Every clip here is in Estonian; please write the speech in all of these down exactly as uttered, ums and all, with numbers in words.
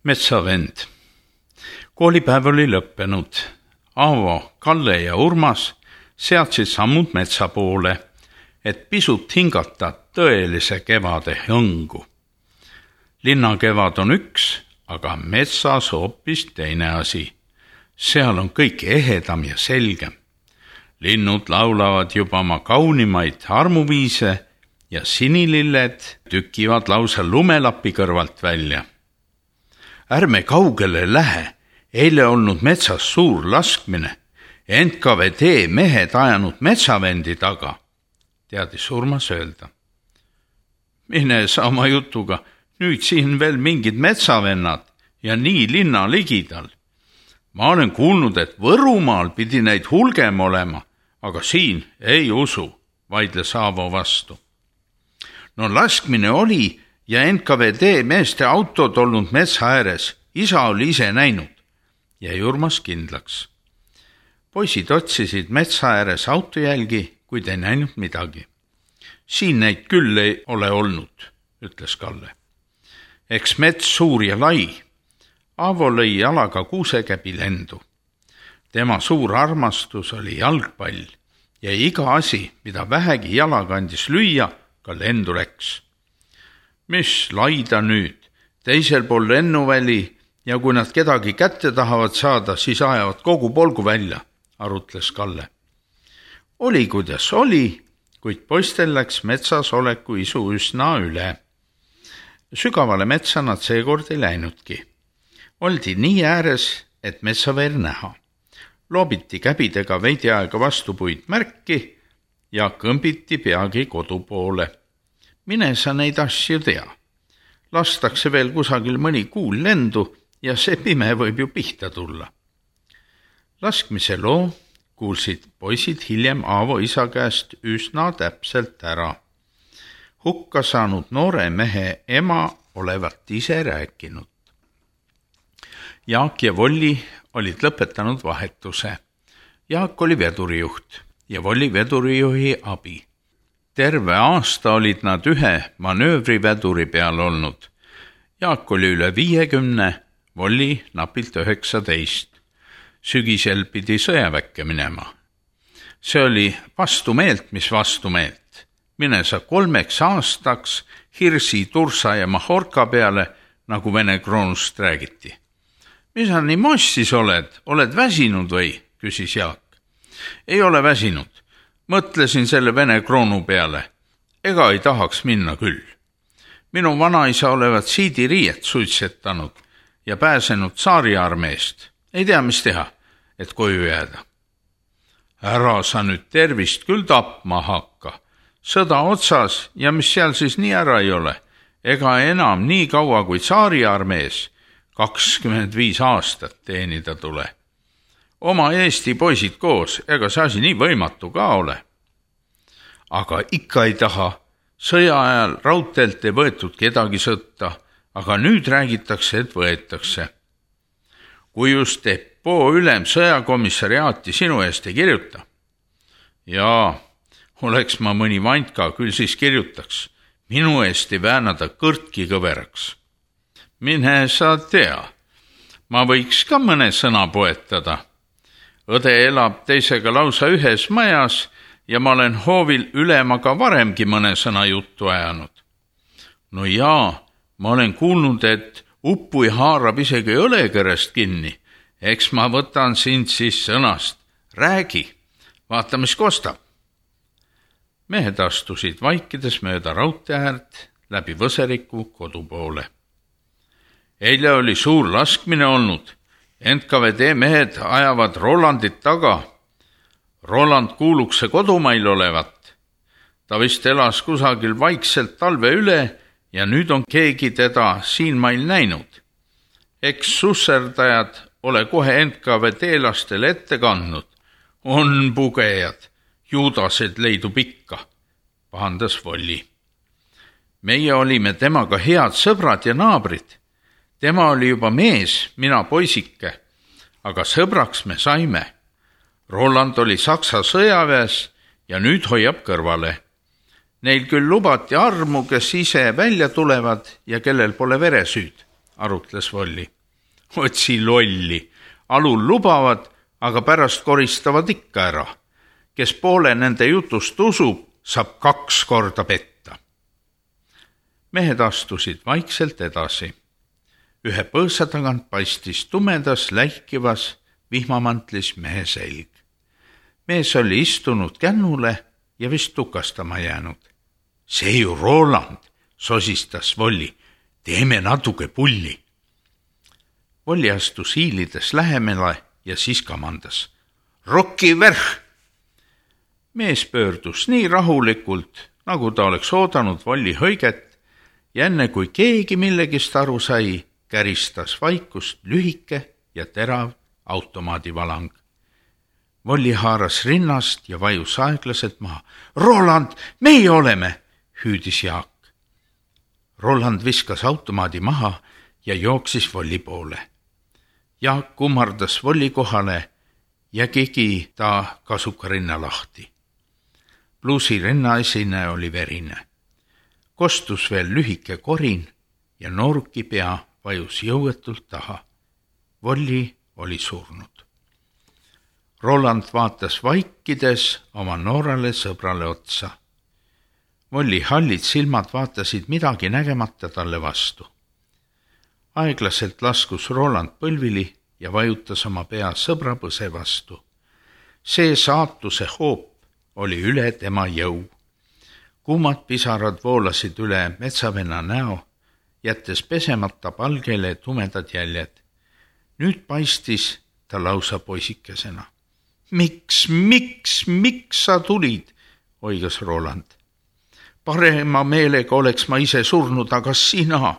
Metsavend. Koolipäev oli lõppenud. Aavo, Kalle ja Urmas seadsid sammud metsa poole, et pisut hingata tõelise kevade hõngu. Linnakevad on üks, aga metsas hoopis teine asi. Seal on kõik ehedam ja selgem. Linnud laulavad juba oma kaunimaid armuviise ja sinililled tükivad lausa lumelapi kõrvalt välja. Ärme kaugele lähe, eile olnud metsas suur laskmine, N K V D mehed ajanud metsavendi taga, teadis Urmas öelda. Mine sa oma jutuga, nüüd siin veel mingid metsavennad ja nii linna ligidal. Ma olen kuulnud, et Võrumaal pidi neid hulgem olema, aga siin ei usu, vaidles Aavo vastu. No laskmine oli ja N K V D meeste autod olnud metsa ääres, isa oli ise näinud, jäi Urmas kindlaks. Poisid otsisid metsa ääres autojälgi, kuid ei näinud midagi. Siin neid küll ei ole olnud, ütles Kalle. Eks mets suur ja lai. Aavo lõi jalaga kuusekäbi lendu. Tema suur armastus oli jalgpall ja iga asi, mida vähegi jalaga andis lüüa, ka lendu läks. Mis laida nüüd, teisel pool lennuväli ja kui nad kedagi kätte tahavad saada, siis ajavad kogu polgu välja, arutles Kalle. Oli kuidas oli, kuid poistel läks metsas oleku isu üsna üle. Sügavale metsa nad seekord ei läinudki. Oldi nii ääres, et metsaveer näha. Loobiti käbidega veidi aega vastu puid märki ja kõmbiti peagi kodu poole. Mine sa neid asju tea. Lastakse veel kusagil mõni kuul lendu ja see pime võib ju pihta tulla. Laskmise loo kuulsid poisid hiljem Aavo isa käest üsna täpselt ära. Hukka saanud noore mehe ema olevat ise rääkinud. Jaak ja Volli olid lõpetanud vahetuse. Jaak oli vedurijuht ja Volli vedurijuhi abi. Terve aasta olid nad ühe manöövriveduri peal olnud. Jaak oli üle viiekümne, Volli napilt üheksateist. Sügisel pidi sõjaväkke minema. See oli vastumeelt, mis vastumeelt. Mine sa kolmeks aastaks Hirsi, Tursa ja Mahorka peale, nagu Vene kroonust räägiti. Mis sa nii mossis oled? Oled väsinud või? Küsis Jaak. Ei ole väsinud. Mõtlesin selle Vene kroonu peale. Ega ei tahaks minna küll. Minu vanaisa olevat siidiriiet suitsetanud ja pääsenud Tsaariarmeest. Ei tea, mis teha, et koju jääda. Ära sa nüüd tervist küll tapma hakka. Sõda otsas ja mis seal siis nii ära ei ole. Ega enam nii kaua kui Tsaariarmees kakskümmend viis aastat teenida tule. Oma Eesti poisid koos, ega see asi nii võimatu ka ole. Aga ikka ei taha. Sõja ajal raudteelt ei võetud kedagi sõtta, aga nüüd räägitakse, et võetakse. Kui just Depoo ülem sõjakomissariaati sinu eest ei kirjuta. Jaa, oleks ma mõni vantka, küll siis kirjutaks. Minu eest ei väänada kõrtki kõveraks. Mine sa tea. Ma võiks ka mõne sõna poetada. Õde elab teisega lausa ühes majas ja ma olen hoovil ülemaga varemgi mõne sõna juttu ajanud. No jaa, ma olen kuulnud, et uppui haarab isegi õlekõrest kinni. Eks ma võtan sind siis sõnast. Räägi, vaata mis kostab. Mehed astusid vaikides mööda raudteäärt läbi Võseriku kodu poole. Eile oli suur laskmine olnud. N K V D mehed ajavad Rolandit taga. Roland kuuluks see kodumail olevat. Ta vist elas kusagil vaikselt talve üle ja nüüd on keegi teda siin mail näinud. Eks susserdajad ole kohe N K V D-lastele ette kandnud. On pugejad, juudased leidub ikka, pahandas Volli. Meie olime temaga head sõbrad ja naabrid. Tema oli juba mees, mina poisike, aga sõbraks me saime. Roland oli Saksa sõjaväes ja nüüd hoiab kõrvale. Neil küll lubati armu, kes ise välja tulevad ja kellel pole veresüüd, arutles Volli. Otsi lolli, alul lubavad, aga pärast koristavad ikka ära. Kes poole nende jutust usub, saab kaks korda petta. Mehed astusid vaikselt edasi. Ühe põõsa tagant paistis tumedas läikivas vihmamantlis mehe selg. Mees oli istunud kännule ja vist tukastama jäänud. See ju Roland, sosistas Volli. Teeme natuke pulli. Volli astus hiilides lähemale ja siis kamandas. Rokki värh! Mees pöördus nii rahulikult, nagu ta oleks oodanud Volli hõiget ja enne kui keegi millegist aru sai, käristas vaikust lühike ja terav automaadivalang. Volli haaras rinnast ja vajus aeglaselt maha. Roland, meie oleme, hüüdis Jaak. Roland viskas automaadi maha ja jooksis Volli poole. Jaak kummardas Volli kohale ja kigi ta kasuka rinna lahti. Pluusi rinnaesine oli verine. Kostus veel lühike korin ja nooruki pea vajus jõuetult taha. Volli oli surnud. Roland vaatas vaikides oma noorale sõbrale otsa. Volli hallid silmad vaatasid midagi nägemata talle vastu. Aeglaselt laskus Roland põlvili ja vajutas oma pea sõbra põse vastu. See saatuse hoop oli üle tema jõu. Kuumad pisarad voolasid üle metsavenna näo, jättes pesemata palgele tumedad jäljed. Nüüd paistis ta lausa poisikesena. Miks, miks, miks sa tulid, oigas Roland. Parema meelega oleks ma ise surnud, aga sina.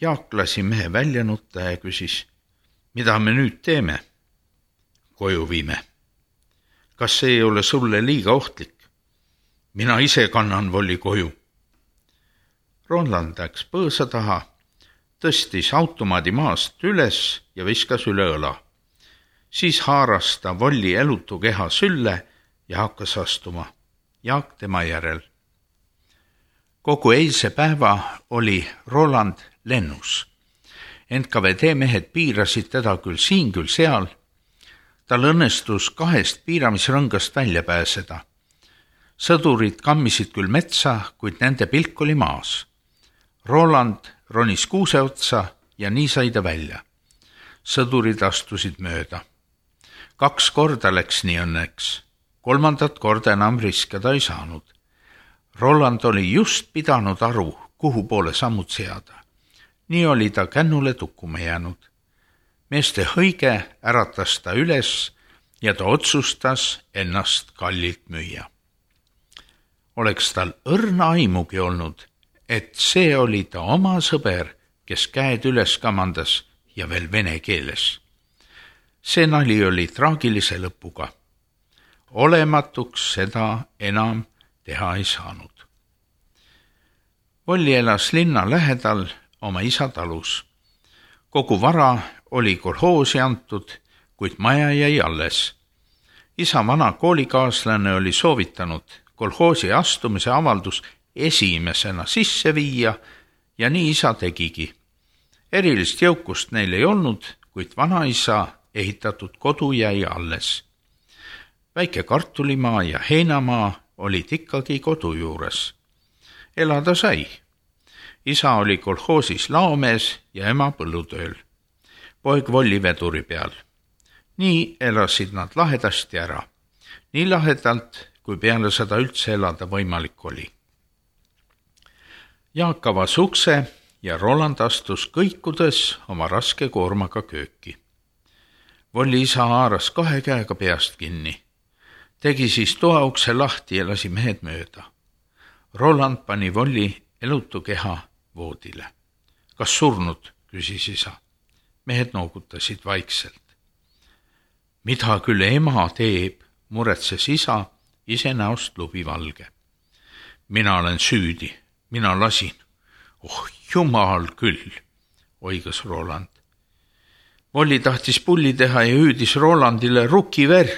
Jaak lasi mehe välja nutta ja küsis, mida me nüüd teeme? Koju viime. Kas see ei ole sulle liiga ohtlik? Mina ise kannan Volli koju. Roland läks põõsa taha, tõstis automaadi maast üles ja viskas üle õla. Siis haaras ta Volli elutu keha sülle ja hakkas astuma. Jaak tema järel. Kogu eilse päeva oli Roland lennus. N K V D mehed piirasid teda küll siin, küll seal. Tal õnnestus kahest piiramisrõngast välja pääseda. Sõdurid kammisid küll metsa, kuid nende pilk oli maas. Roland ronis kuuse otsa ja nii sai ta välja. Sõdurid astusid mööda. Kaks korda läks nii õnneks. Kolmandat korda enam riskeda ei saanud. Roland oli just pidanud aru, kuhu poole sammud seada. Nii oli ta kännule tukkuma jäänud. Meeste hõige äratas ta üles ja ta otsustas ennast kallilt müüa. Oleks tal õrna aimugi olnud, et see oli ta oma sõber, kes käed üles kamandas ja veel vene keeles. See nali oli traagilise lõpuga. Olematuks seda enam teha ei saanud. Volli elas linna lähedal oma isa talus. Kogu vara oli kolhoosi antud, kuid maja jäi alles. Isa vana koolikaaslane oli soovitanud kolhoosi astumise avaldus esimesena sisse viia ja nii isa tegigi. Erilist jõukust neil ei olnud, kuid vanaisa ehitatud kodu jäi alles. Väike kartulimaa ja heinamaa olid ikkagi kodu juures. Elada sai. Isa oli kolhoosis laomees ja ema põllutööl. Poeg Volli veduri peal. Nii elasid nad lahedasti ära. Nii lahedalt, kui peale seda üldse elada võimalik oli. Jaak avas ukse ja Roland astus kõikudes oma raske koormaga kööki. Volli isa haaras kahe käega peast kinni. Tegi siis toaukse lahti ja lasi mehed mööda. Roland pani Volli elutu keha voodile. Kas surnud, küsis isa. Mehed noogutasid vaikselt. Mida küll ema teeb, muretses isa, ise näost lubi valge. Mina olen süüdi, mina lasin. Oh, jumal küll, oigas Roland. Volli tahtis pulli teha ja hüüdis Rolandile ruki verh.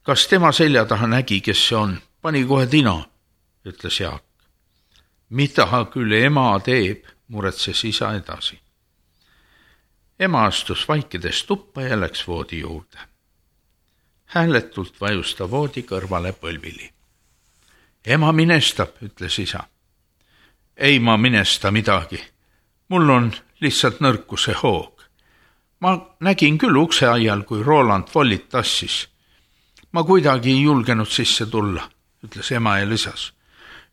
Kas tema selja taha nägi, kes see on? Pani kohe tina, ütles Jaak. Mida küll ema teeb, muretses isa edasi. Ema astus vaikides tuppa ja läks voodi juurde. Hääletult vajus ta voodi kõrvale põlvili. Ema minestab, ütles isa. Ei ma minesta midagi. Mul on lihtsalt nõrkuse hoog. Ma nägin küll ukseaial, kui Roland vollit tassis. Ma kuidagi ei julgenud sisse tulla, ütles ema ja lisas.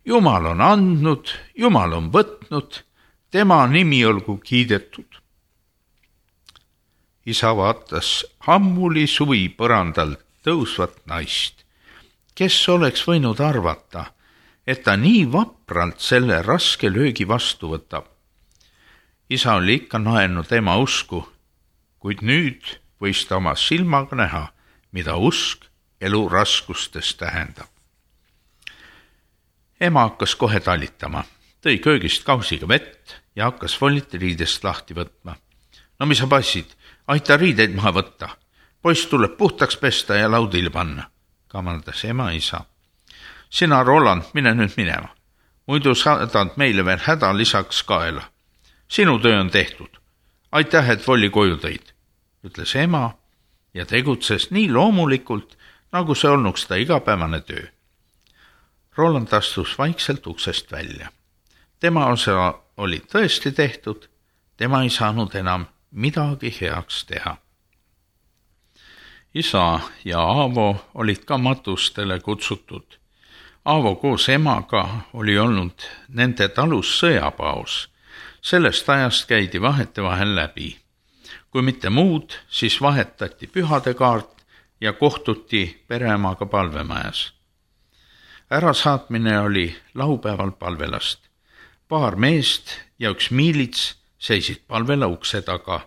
Jumal on andnud, Jumal on võtnud, tema nimi olgu kiidetud. Isa vaatas ammuli suvi põrandal tõusvat naist, kes oleks võinud arvata, et ta nii vapralt selle raske löögi vastu võtab. Isa oli ikka naelnud ema usku, kuid nüüd võis ta oma silmaga näha, mida usk elu raskustes tähendab. Ema hakkas kohe talitama, tõi köögist kausiga vett ja hakkas vollit riidest lahti võtma. No mis sa passid, aita riideid maha võtta. Poiss tuleb puhtaks pesta ja laudile panna, kamandas ema isa. Sina, Roland, mine nüüd minema. Muidu saadad meile veel häda lisaks kaela. Sinu töö on tehtud. Aitäh, et volli koju tõid, ütles ema ja tegutses nii loomulikult, nagu see olnuks ta igapäevane töö. Roland astus vaikselt uksest välja. Tema osa oli tõesti tehtud, tema ei saanud enam midagi heaks teha. Isa ja Aavo olid ka matustele kutsutud. Aavo koos emaga oli olnud nende talus sõjapaos. Sellest ajast käidi vahete vahel läbi. Kui mitte muud, siis vahetati pühadekaart ja kohtuti pereemaga palvemajas. Ärasaatmine oli laupäeval palvelast. Paar meest ja üks miilits seisid palvela ukse taga.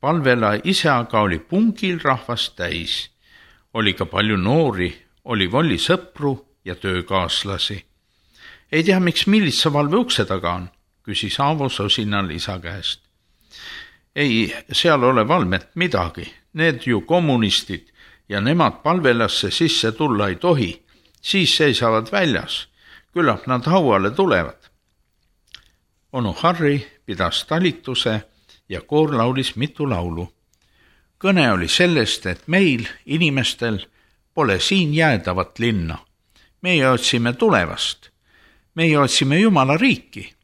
Palvela ise aga oli pungil rahvast täis. Oli ka palju noori, oli volli sõpru ja töökaaslasi. Ei tea, miks miilitsa valve ukse taga on, küsis Aavo sosinal isa käest. Ei, seal ole valmet midagi, need ju kommunistid ja nemad palvelasse sisse tulla ei tohi, siis seisavad väljas, küllap nad hauale tulevad. Onu Harri pidas talituse ja koor laulis mitu laulu. Kõne oli sellest, et meil, inimestel, pole siin jäädavat linna. Meie otsime tulevast. Meie otsime Jumala riiki.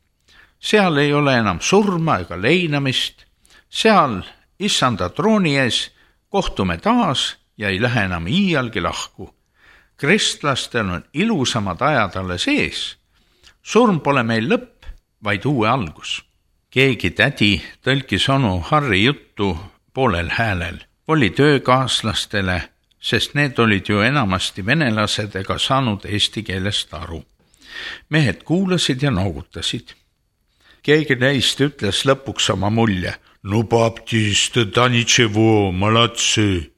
Seal ei ole enam surma ega leinamist. Seal issanda trooni ees kohtume taas ja ei lähe enam iialgi lahku. Kristlastel on ilusamad ajad alles ees. Surm pole meil lõpp, vaid uue algus. Keegi tädi tõlkis onu Harri juttu poolel häälel. Oli töökaaslastele, sest need olid ju enamasti venelased ega saanud eesti keelest aru. Mehed kuulasid ja noogutasid. Keegi neist ütles lõpuks oma mulje. No baptiste, da ničevo, malatsi.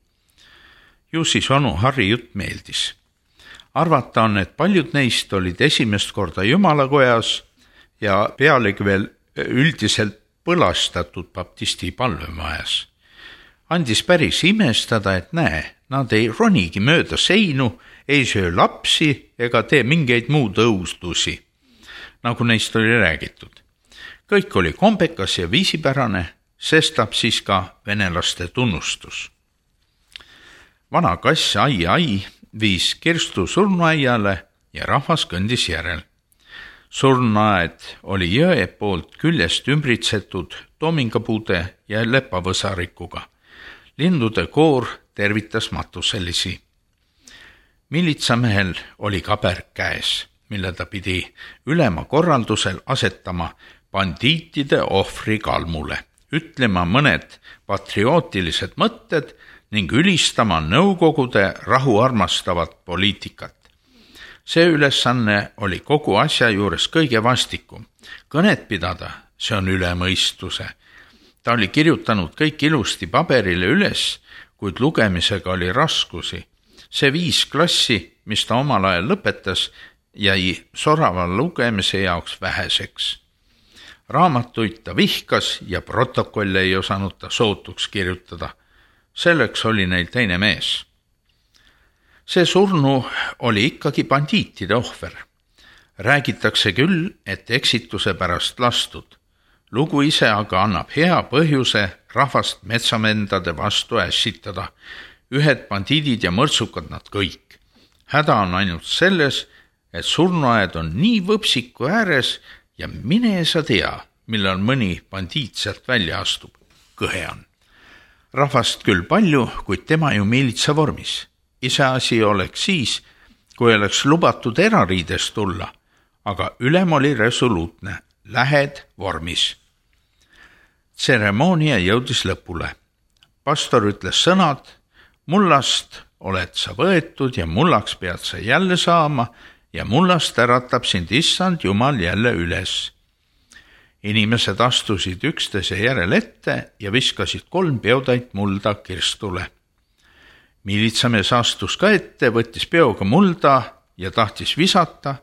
Ju siis onu Harri jutt meeldis. Arvata on, et paljud neist olid esimest korda Jumalakojas ja pealegi veel üldiselt põlastatud baptisti palvemajas. Andis päris imestada, et näe, nad ei ronigi mööda seinu, ei söö lapsi ega tee mingeid muud õustusi, nagu neist oli räägitud. Kõik oli kombekas ja viisipärane, sestap siis ka venelaste tunnustus. Vana kass ai ai viis Kirstu surnuaiale ja rahvas kõndis järel. Surnuaed oli jõe poolt küljest ümbritsetud toomingapuude ja lepavõsarikuga. Lindude koor tervitas matuselisi. Militsamehel oli kaber käes, mille ta pidi ülema korraldusel asetama bandiitide ohvri kalmule, ütlema mõned patriootilised mõtted ning ülistama nõukogude rahuarmastavat poliitikat. See ülesanne oli kogu asja juures kõige vastikum. Kõnet pidada, see on üle mõistuse. Ta oli kirjutanud kõik ilusti paberile üles, kuid lugemisega oli raskusi. See viis klassi, mis ta omal ajal lõpetas, jäi sorava lugemise jaoks väheseks. Raamatuid ta vihkas ja protokolle ei osanud ta sootuks kirjutada. Selleks oli neil teine mees. See surnu oli ikkagi bandiitide ohver. Räägitakse küll, et eksituse pärast lastud. lugu ise aga annab hea põhjuse rahvast metsamendade vastu ässitada. Ühed bandiidid ja mõrtsukad nad kõik. Häda on ainult selles, et surnuaed on nii võpsiku ääres ja mine sa tea, millal mõni bandiit sealt välja astub. Kõhe on. Rahvast küll palju, kuid tema ju miilitsa vormis. Iseasi oleks siis, kui oleks lubatud erariides tulla, aga ülem oli resoluutne, lähed vormis. Tseremoonia jõudis lõpule. Pastor ütles sõnad, mullast oled sa võetud ja mullaks pead sa jälle saama ja mullast äratab sind issand Jumal jälle üles. Inimesed astusid üksteise järel ette ja viskasid kolm peotäit mulda kirstule. Miilitsamees astus ka ette, võttis peoga mulda ja tahtis visata,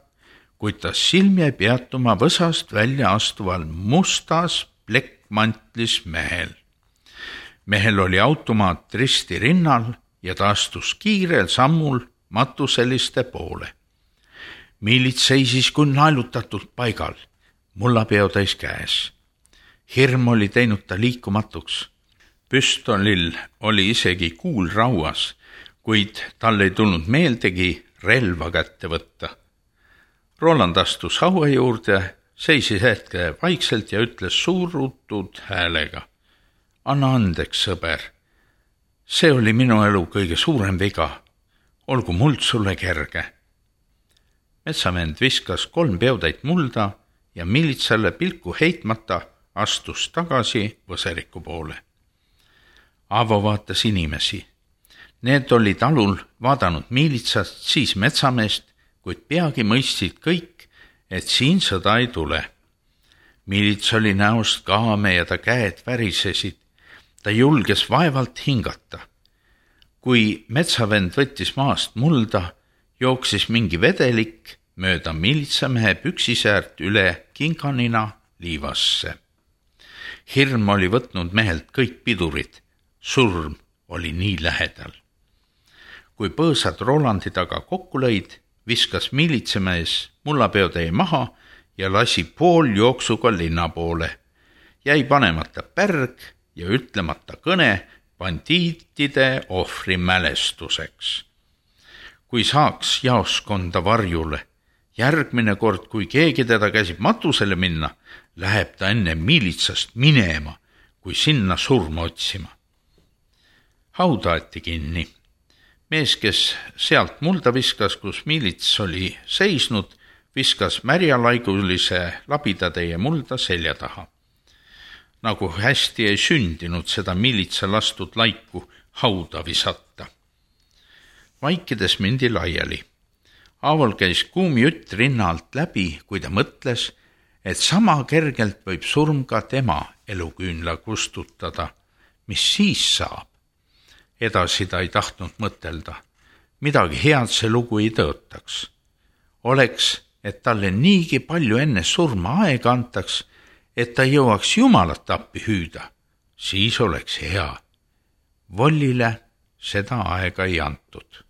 kuid ta silm jäi peatuma võsast välja astuval mustas plekkmantlis mehel. Mehel oli automaat risti rinnal ja ta astus kiirel sammul matuseliste poole. Miilits seisis kui naelutatult paigal, mullapeotäis käes. Hirm oli teinud ta liikumatuks. Püstolil oli isegi kuul rauas, kuid tal ei tulnud meeldegi relva kätte võtta. Roland astus haua juurde, seisis hetke vaikselt ja ütles suurutud häälega. Anna andeks, sõber. See oli minu elu kõige suurem viga. Olgu muld sulle kerge. Metsamend viskas kolm peotäit mulda ja miilitsale pilku heitmata astus tagasi Võseriku poole. Aavo vaatas inimesi. Need olid alul vaadanud miilitsast, siis metsameest, kuid peagi mõistsid kõik, et siin sõda ei tule. Miilits oli näost kaame ja ta käed värisesid. Ta julges vaevalt hingata. Kui metsavend võttis maast mulda, jooksis mingi vedelik mööda miilitsamehe püksisäärt üle kinkanina liivasse. Hirm oli võtnud mehelt kõik pidurid. Surm oli nii lähedal. Kui põõsad Rolandi taga kokku lõid, viskas miilitsamees mullapeotäie maha ja lasi pool jooksuga linna poole. Jäi panemata pärg ja ütlemata kõne bandiitide ohvri mälestuseks. Kui saaks jaoskonda varjule, järgmine kord, kui keegi teda käsib matusele minna, läheb ta enne miilitsast minema, kui sinna surma otsima. Haudaati kinni. Mees, kes sealt mulda viskas, kus miilits oli seisnud, viskas märjalaigulise labidatäie mulda selja taha. Nagu hästi ei sündinud seda miilitsa lastud laiku hauda visata. Vaikides mindi laiali. Aaval käis kuum jutt rinna alt läbi, kui ta mõtles, et sama kergelt võib surm ka tema eluküünla kustutada. Mis siis saab? Edasi ta ei tahtnud mõtelda. Midagi head see lugu ei tõotaks. Oleks, et talle niigi palju enne surma aega antaks, et ta jõuaks Jumalat appi hüüda, siis oleks hea. Vollile seda aega ei antud.